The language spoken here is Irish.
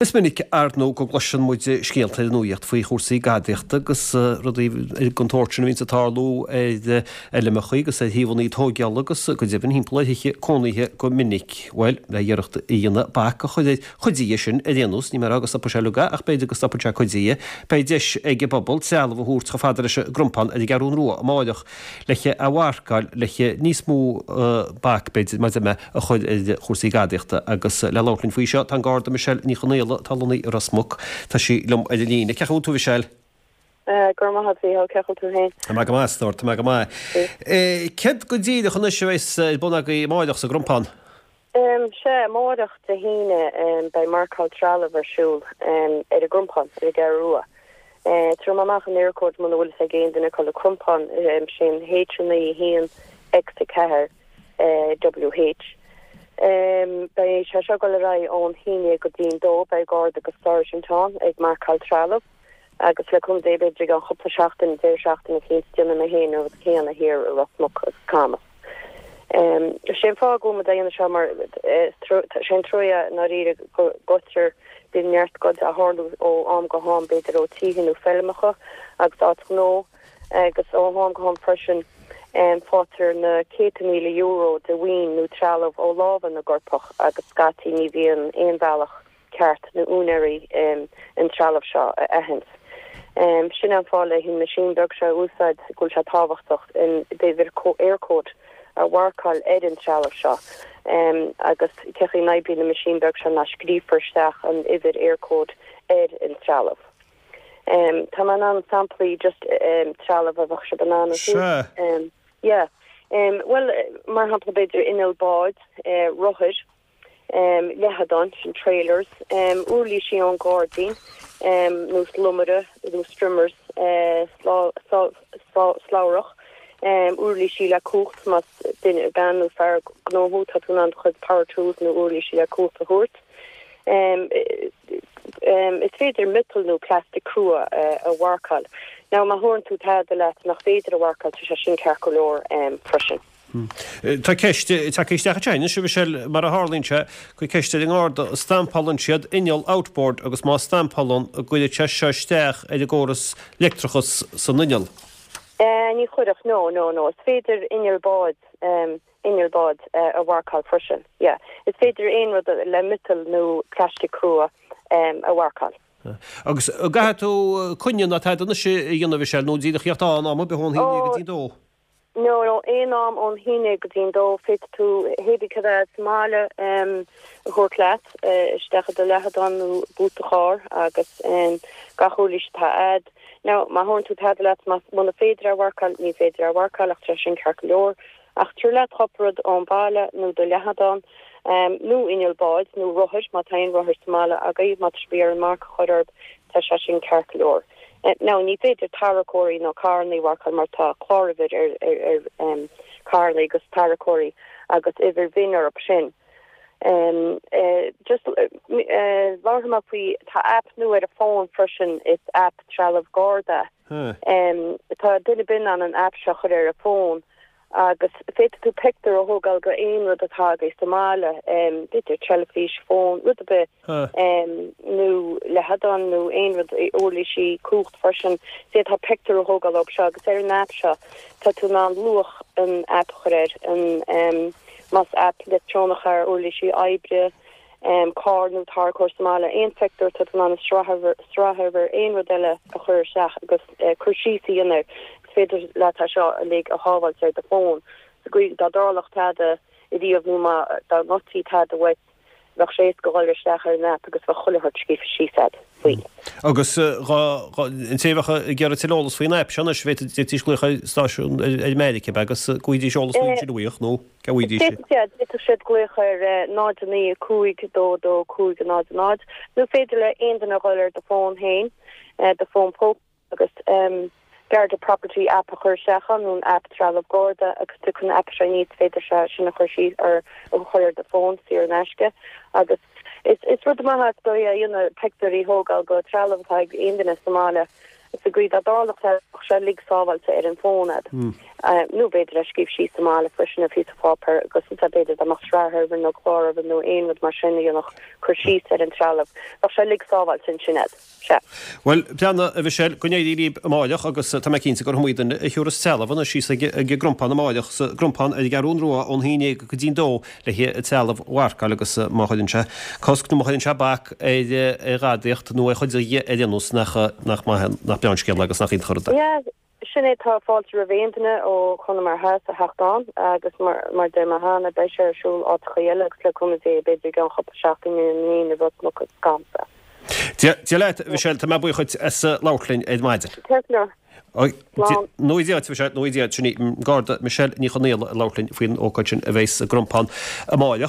Is minic, ar ndóigh, go gcloiseann muid scéalta ar an nuaíocht faoi chúrsaí gadaíochta agus rudaí den tsórt sin a bhíonns ag tarlú ar fheilmeacha agus ar shuíomhanna tóigeála agus go deimhin thimpeall ar thithe cónaithe go minic. Bhuel, le iarracht a dhéanamh bac a chur ar chuid dhe sin ar aon nós, níl mé ag rá go stopfaidh sé uilig é ach b'fhéidir go stopfaidh sé cuid dhe, beidh deis ag an bpobal trealamh a thabhairt chomh fada leis an gCrompán ar an gCeathrún Rua amáireach le é a mharcáil le níos mó bac, b'fhéidir, mar a deir mé. a chur ar chúrsaí gadaíochta agus le labhairt linn faoi seo tá an Garda Michelle Ní Chonaola atá lonnaithe i Ros Muc. Tá sí liom ar an líne. Cén chaoi a bhfuil tú Michelle? Go raibh maith agat Mhícheál, cén chaoi a bhfuil tú féin? Tá mé go maith a stór, tá mé go maith. Céard go díreach anois a bheas ar bun agaibh amáireach sa gCrompán? Sea, amáireach Dé hAoine beidh marcáil trealaimh ar siúl ar an gCrompán, ar an gCeathrú Rua. Tabharfaidh mé amach an Eircode muna bhfuil fhios ag aon duine cá bhfuil an Crompán, sin H9 1 X4. WH. Beidh sé seo ag dul ar aghaidh ón haon déag go dtí'n dó. Beidh Garda agus Sáirsint ann ag marcáil trealamh agus le cúnamh Dé b'fhéidir i gceann chúpla seachtain, deireadh seachtaine eicínt, déanfaidh mé féin an rud céanna thiar i Ros Muc agus Camas. Sé an fáth go bhfuil muid á dhéanamh seo mar sé an trua i ndáiríre go goidtear, bíonn neart goid á tharlú ó am go ham b'fhéidir ó títhe nó feilmeacha agus áit ghnó. agus ó am go ham freisin faightear na céadta míle euro de mhaoin nó trealamh ó lámha na gcoirpeach agus scaití ní bhíonn aon bhealach ceart na úinéirí an trealamh seo a aithint. Sin é an fáth le an machine beag seo a úsáid go bhfuil sé tábhachtach an uimhir Eircode a mharcáil ar an trealamh seo agus cé chaoi a n-oibríonn an machine beag seo ná scríofar isteach an uimhir Eircode ar an trealamh. Tá mé in ann samplaí just trealamh a bheadh sibh in ann a thabhairt. Yeah. Bhuel, mar shampla b'fhéidir inneall báid, rothair, leathadáin, sin trailers, uirlísí ón gairdín, nós lomaire nó strimmers, slabhrach, uirlísí le cumhacht más duine, bean nó fear gnó thú, tá tú in ann do chuid power tools nó uirlísí le cumhacht a thabhairt. Is féidir miotal nó plastic crua a mharcáil. Now má thabharann tú tada leat nach féidir a mharcáil tá sé sin ceart go leor freisin. Tá ceist tagtha isteach anseo anois, a Mhichelle, mar a tharlaíonn sé, cuir ceist ar an nGarda, an stampálann siad inneall outboard agus má stampálann, an gcuirfeadh sé seo isteach ar an gcóras leictreachas san inneall? Ní chuirfeadh, no, no, no. Is féidir inneall báid inneall báid a mharcáil freisin. Yeah. Is féidir aon rud le miotal nó plastic crua a mharcáil. Agus an gcaithfidh tú coinne ná tada anois a dhéanamh, Michelle, nó díreach theacht aon am ar bith ón haon déag go dtí an dó? No, no, aon am ón haon déag go dtí an dó. Féadfaidh tú hébí cad é sa mbaile a thabhairt leat isteach i do leathadán nó boot do chairr agus gach uirlis atá a'd. Now, má thabharann tú tada leat, muna féidir é a mharcáil, ní féidir é a mharcáil ach tá sé sin ceart go leor. Ach tabhair leat cúpla rud ón baile nó do leathadán, nó inneall báid nó rothair, má tá aon rothair sa mbaile agaibh, má tá sibh ag iarraidh marc a chur orthu, tá sé sin ceart go leor. Now, ní féidir tarracóirí nó carrannaí a mharcáil mar tá cláruimhir ar ar carrannaí agus tarracóirí agus uimhir VIN orthu sin. Just labharfaidh mé faoi, tá aip nua ar an bhfón freisin, is aip trealamh Garda. Tá duine ar bith in ann an aip seo a chur ar a fón agus féadfaidh tú pictiúr a thógáil de aon rud atá agaibh sa mbaile, b'fhéidir teilifís, fón, rud ar bith, nó leathadán nó aon rud, uirlisí cumhacht freisin. D'fhéadfá pictiúr a thógáil dóibh seo agus ar an aip seo tá tú in ann luach an aip a chur air, an más aip leictreonach é, uirlisí oibre, carr nó tarracóir sa mbaile, aon phictiúr, tá tú in ann an sraithuimhir, aon rud eile a chur isteach agus cur síos a dhéanamh air. Is féidir leat é seo uilig a shábháilt ar do fón sa gcaoi dá dtarlódh tada ariamh nó má dá ngoidtí tada uait, bheadh sé éasca dhul isteach ar an aip agus bheadh chuile shórt scríofa síos a'd faoi. Agus an té a bheadh ag iarraidh tuilleadh eolas faoin aip seo anois, bhféadfaidís glaoch ar stáisiún ar Meiriceá, ab ea, agus go bhfaighidís eolas faoi ansin uaidh, nó? Cá bhfaighidís é? D'fhéadfadh siad glaoch ar 0 9 5 2 2 5 0 0 nó féidir le aon duine a dhul ar do fón féin, do fón póca agus Garda Property App a chur isteach ann nó an aip Trealamh Garda agus tiocfaidh an aip seo aníos, féidir sé sin a chur síos ar a chur ar do fón saor in aisce agus is rud maith é is dóigh a dhéanamh pictiúirí a thógáil de trealamh atá ag aon duine sa mbaile. Sa gcaoi dá dtarlódh sé, bheadh sé uilig sábháilte ar an bhfón a'd. Nó b'fhéidir é a scríobh síos sa mbaile freisin ar phíosa páipéir agus ansan b'fhéidir dá mbeadh sraith uimhir nó clár uimhir nó aon rud mar sin a dhéanfadh cur síos ar an trealamh. Bheadh sé uilig sábháilte ansin a'd. Sea. Bhuel, breathnaigh, a Mhichelle, go n-éirí libh amáireach agus tá mé cinnte gur iomaí duine a thiúrfas trealamh anois síos ag an gCrompán amáireach, sa gCrompán ar an gCeathrún Rua ón 11 go dtí'n 2 le trealamh a mharcáil agus má chuireann sé cosc nó má chuireann sé bac ar ghadaíocht nó ar chuid de ar aon nós nach nach maith nach breá an scéal agus nach iontach an rud é. Yeah, Sin é, tá fáilte roimh aon duine ó Chonamara Theas a theacht ann agus mar a deir mé cheana, beidh sé ar siúl áiteachaí eile agus le cúnamh Dé, b'fhéidir i gceann cúpla seachtain i mbliana i Ros Muc agus Gamsa. Dia leat, a Mhichelle, tá mé buíoch dhuit as labhairt linn ar maidin. Ceart go leor. Slán. Nó Dia duit, a Mhichelle, nó Dia duit. Sin í an Garda Michelle Ní Chonaola ag labhairt linn faoin ócáid sin a bheidh sa gCrompán amáireach.